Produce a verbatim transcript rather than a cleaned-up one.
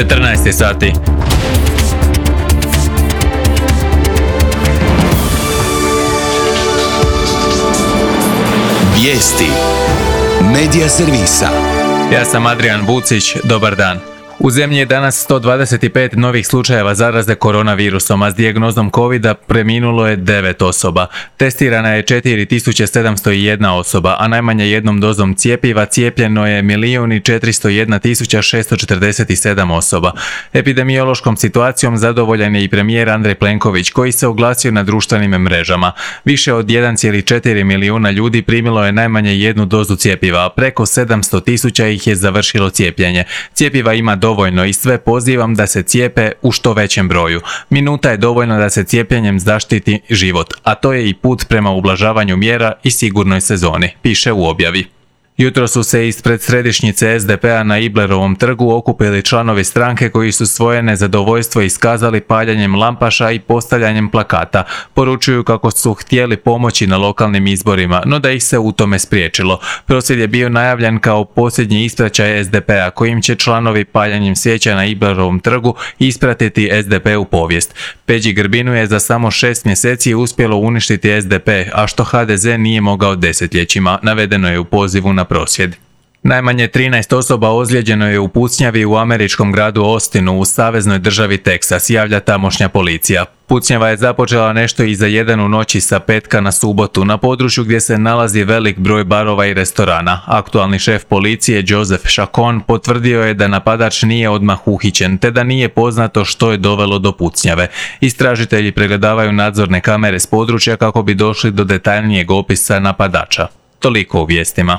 četrnaest sati. Vijesti Medija servisa. Ja sam Adrian Vucić, dobar dan. U zemlji je danas sto dvadeset pet novih slučajeva zaraze koronavirusom, a s dijagnozom covida preminulo je devet osoba. Testirana je četiri tisuće sedamsto jedna osoba, a najmanje jednom dozom cjepiva cijepljeno je milijun četiristo jedna tisuća šesto četrdeset sedam osoba. Epidemiološkom situacijom zadovoljan je i premijer Andrej Plenković, koji se oglasio na društvenim mrežama. Više od jedan zarez četiri milijuna ljudi primilo je najmanje jednu dozu cjepiva, a preko sedamsto tisuća ih je završilo cijepljenje. Cjepiva ima dovoljno i sve pozivam da se cijepe u što većem broju. Minuta je dovoljno da se cijepljenjem zaštiti život, a to je i put prema ublažavanju mjera i sigurnoj sezoni, piše u objavi. Jutro su se ispred središnjice es de pe a na Iblerovom trgu okupili članovi stranke koji su svoje nezadovoljstvo iskazali paljenjem lampaša i postavljanjem plakata. Poručuju kako su htjeli pomoći na lokalnim izborima, no da ih se u tome spriječilo. Prosvjed je bio najavljen kao posljednji ispraćaj es de pe a, kojim će članovi paljenjem svijeća na Iblerovom trgu ispratiti es de pe u povijest. Peđi Grbinu je za samo šest mjeseci uspjelo uništiti es de pe, a što ha de ze nije mogao desetljećima, navedeno je u pozivu na prosvjed. Najmanje trinaest osoba ozlijeđeno je u pucnjavi u američkom gradu Austinu u saveznoj državi Teksas, javlja tamošnja policija. Pucnjava je započela nešto iza jedan u noći sa petka na subotu na području gdje se nalazi velik broj barova i restorana. Aktualni šef policije Joseph Chacon potvrdio je da napadač nije odmah uhićen, te da nije poznato što je dovelo do pucnjave. Istražitelji pregledavaju nadzorne kamere s područja kako bi došli do detaljnijeg opisa napadača. Toliko u vijestima.